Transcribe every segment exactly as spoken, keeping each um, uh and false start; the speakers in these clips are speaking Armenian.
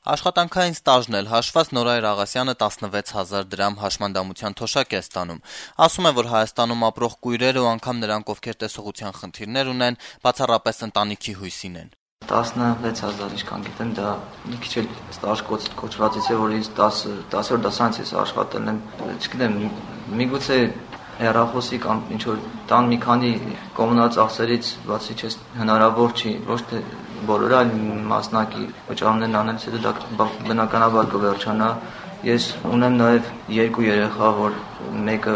Աշխատանքային ստաժն էլ հաշված Նորայր Աղասյանը տասնվեց հազար դրամ հաշմանդամության թոշակ է ստանում։ Ասում է, որ Հայաստանում ապրող կույրերը ու անգամ նրանք, ովքեր տեսողության խնդիրներ ունեն, բացառապես ընտանիքի հույսին են։ տասնվեց հազար ինչքան գիտեմ, դա մի քիչ էլ ստաժ կոչվածից է, որ ինձ տասը դասանց ես աշխատել եմ, չգիտեմ, միգուցե հեռախոսի կամ ինչ-որ տան մի քանի կոմունալ ծախսերից բացի չես հնարավոր չի, ոչ թե բոլորը, այլ մասնակի վճարումներն անելուց հետո դա բնականաբար կվերջանա։ Ես ունեմ նաև երկու երեխա, որ մեկը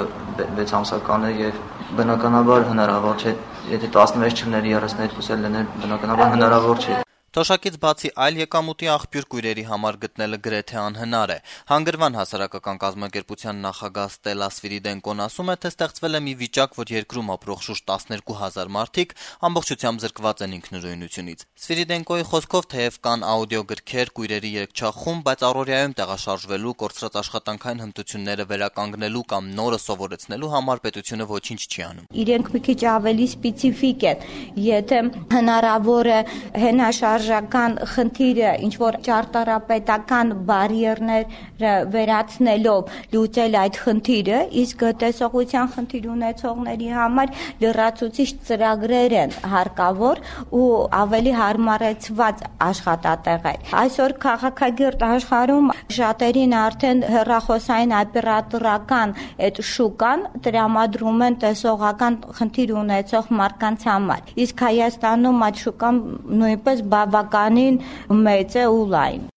վեց ամսական է եւ բնականաբար հնարավոր չէ, եթե տասնվեց չլներ երեսներկուսը լիներ, բնականաբար հնարավոր չէ։ Թոշակից բացի այլ եկամուտի աղբյուր կույրերի համար գտնելը գրեթե անհնար է։ Հանգրվան հասարակական կազմակերպության նախագահ Ստելլա Սվիրիդենկոն ասում է, թե ստեղծվել է մի վիճակ, որ երկրում ապրող շուրջ տասներկու հազար մարդիկ ամբողջությամբ զրկված են ինքնուրույնությունից։ Սվիրիդենկոյի խոսքով թեև կան աուդիոգրքեր, կույրերի երգչախումբ, բայց առօրյայում տեղաշարժվելու, կորցրած աշխատանքային հմտությունները վերականգնելու կամ նորը սովորեցնելու համար պետությունը ոչինչ չի անում։ Իրենք մի քիչ ավելի սպეციფիկ են, եթե հնարավոր է հենաշարժական խնդիրը ինչ որ ճարտարապետական բարիերները վերացնելով լուծել այդ խնդիրը, իսկ տեսողության խնդիր ունեցողների համար լրացուցիչ ծրագրեր են հարկավոր ու ավելի հարմարեցված աշխատատեղեր։ Այսօր քաղաքագիրտ աշխարհում շատերին արդեն հեռախոսային օպերատորական այդ շուկան տրամադրում են տեսողական խնդիր ունեցող մարդկանց համար, իսկ Հայաստանում այդ շուկան նույնպես բավականին մեծ է ու լայն։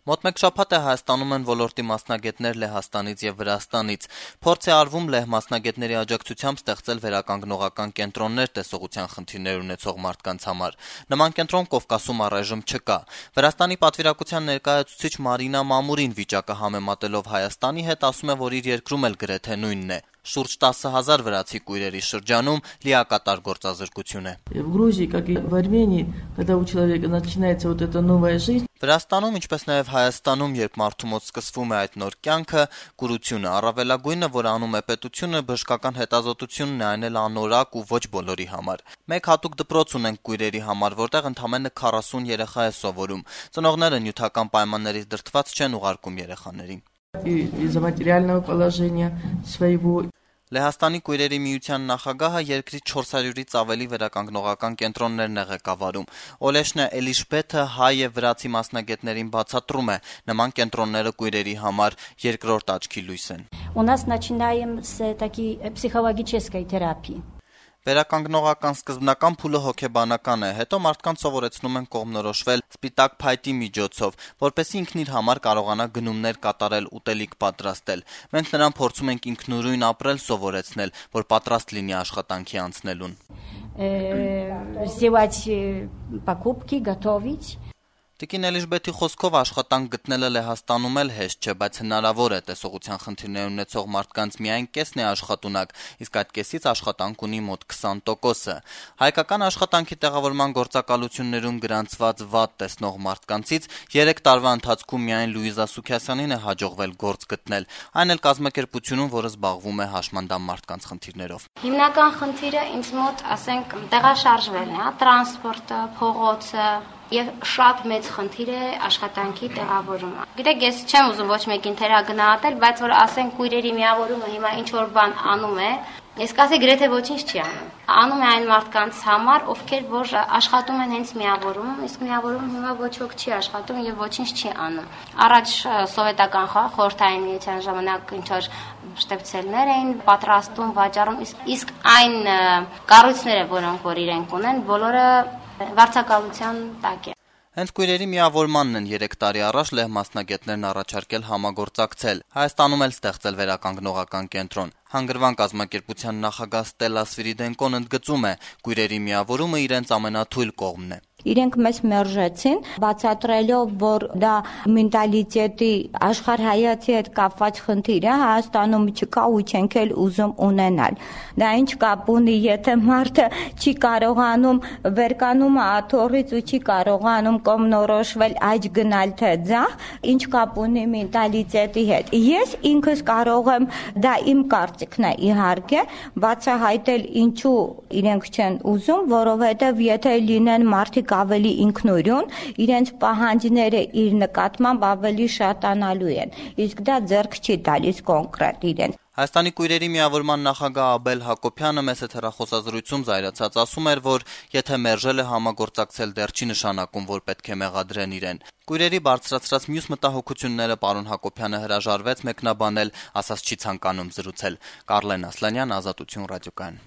Մոտ մեկ շաբաթ է Հայաստանում են ոլորտի մասնագետներ Լեհաստանից եւ Վրաստանից։ Փորձ է արվում լեհ մասնագետների աջակցությամբ ստեղծել վերականգնողական կենտրոններ տեսողության խնդիրներ ունեցող մարդկանց համար։ Նման կենտրոն Կովկասում առայժմ չկա։ Վրաստանի պատվիրակության ներկայացուցիչ Մարինա Մամուրին վիճակը համեմատելով Հայաստանի հետ ասում է, որ իր երկրում էլ գրեթե նույնն է։ Շուրջ տասը հազար վրացի կույրերի շրջանում լիակատար գործազրկություն է։ В Грузии, как и в Армении, когда у человека начинается вот эта новая жизнь, Վրաստանում, ինչպես նաև Հայաստանում, երբ մարդու մոտ սկսվում է այդ նոր կյանքը, կուրությունը, առավելագույնը, որ անում է պետությունը, բժշկական հետազոտությունն է, այն էլ անորակ ու ոչ բոլորի համար։ Մեկ հատուկ դպրոց ունենք կույրերի համար, որտեղ ընդամենը քառասուն երեխա է սովորում։ Ծնողները նյութական պայմաններից դրդված չեն ուղարկում երեխաներին։ из-за материального положения своего. Լեհաստանի կույրերի միության նախագահը երկրի չորս հարյուրից ավելի վերականգնողական կենտրոններն է ղեկավարում։ Օլեշնա Էլիշբեթը հայ եւ վրացի մասնագետներին բացատրում է, նման կենտրոնները կույրերի համար երկրորդ աչքի լույս են։ У нас начинаем с такой психологической терапии. Վերականգնողական սկզբնական փուլը հոգեբանական է, հետո մարդկանց սովորեցնում են կողմնորոշվել սպիտակ փայտի միջոցով, որպեսզի ինքն իր համար կարողանա գնումներ կատարել, ուտելիք պատրաստել։ Մենք նրան փորձում ենք ինքնուրույն ապրել սովորեցնել, որ պատրաստ լինի աշխատանքի անցնելուն։ Сделать покупки, готовить. Տիկին Էլիշբեթի խոսքով աշխատանք գտնելը Լեհաստանում էլ հեշտ չէ, բայց հնարավոր է տեսողության խնդիրներ ունեցող մարդկանց միայն կեսն է աշխատունակ, իսկ այդ կեսից աշխատանք ունի մոտ քսան տոկոսը։ Հայկական աշխատանքի տեղավորման գործակալություններում գրանցված վատ տեսնող մարդկանցից երեք տարվա ընթացքում միայն Լուիզա Սուքիասյանին է հաջողվել գործ գտնել, այն էլ կազմակերպությունում, որը զբաղվում է հաշմանդամ մարդկանց խնդիրներով։ Հիմնական խնդիրը ինձ մոտ, ասենք, տեղաշարժվելն է, տրանսպորտը, փողոցը Եվ շատ մեծ խնդիր է աշխատանքի տեղավորումը։ Գիտեք, ես չեմ ուզում ոչ մեկին թերագնահատել, բայց որ ասենք կույրերի միավորումը հիմա ինչ որ բան անում է, ես կասեի գրեթե ոչինչ չի անում։ Անում է այն մարդկանց համար, ովքեր որ աշխատում են հենց միավորումում, իսկ միավորումում հիմա ոչ ոք չի աշխատում եւ ոչինչ չի անում։ Առաջ սովետական խորհրդային միության ժամանակ ինչ որ շտեպցելներ էին պատրաստում, վաճառում, իսկ այն կառույցները, որոնք որ իրենք ունեն, բոլորը վարձակալության տակ է։ Հենց կույրերի միավորմանն են երեք տարի առաջ լեհ մասնագետներն առաջարկել համագործակցել։ Հայաստանում էլ ստեղծել վերականգնողական կենտրոն։ Հանգրվան կազմակերպության նախագահ Ստելլա Սվիրիդենկոն ընդգծում է, կույրերի միավորումը իրենց ամենաթույլ կողմն է։ Իրենք մեզ մերժեցին, բացատրելով, որ դա մենտալիտետի աշխարհայացի հետ կապված խնդիր է, Հայաստանում չկա ու չենք էլ ուզում ունենալ։ Դա ինչ կապ ունի, եթե մարդը չի կարողանում վերկանում աթոռից ու չի կարողանում կողմնորոշվել աճ գնալ թե ձախ, ինչ կապ ունի մենտալիտետի հետ։ Ես ինքս կարող եմ, դա իմ կարծիքն է իհարկե, բացահայտել ինչու իրենք չեն ուզում, որովհետև եթե լինեն մարդիկ մարդիկ ավելի ինքնուրույն, իրենց պահանջները իր նկատմամբ ավելի շատանալու են, իսկ դա ձեռք չի տալիս կոնկրետ իրենց։ Հայաստանի կույրերի միավորման նախագահ Աբել Հակոբյանը մեծ հեռախոսազրույցում զայրացած ասում էր, որ եթե մերժել է համագործակցել, դեռ չի նշանակում, որ պետք է մեղադրեն իրեն։ Կույրերի բարձրացրած մյուս մտահոգությունները պարոն Հակոբյանը հրաժարվեց մեկնաբանել, ասաց չի ցանկանում զրուցել։ Կարլեն Ասլանյան, Ազատություն ռադիոկայան։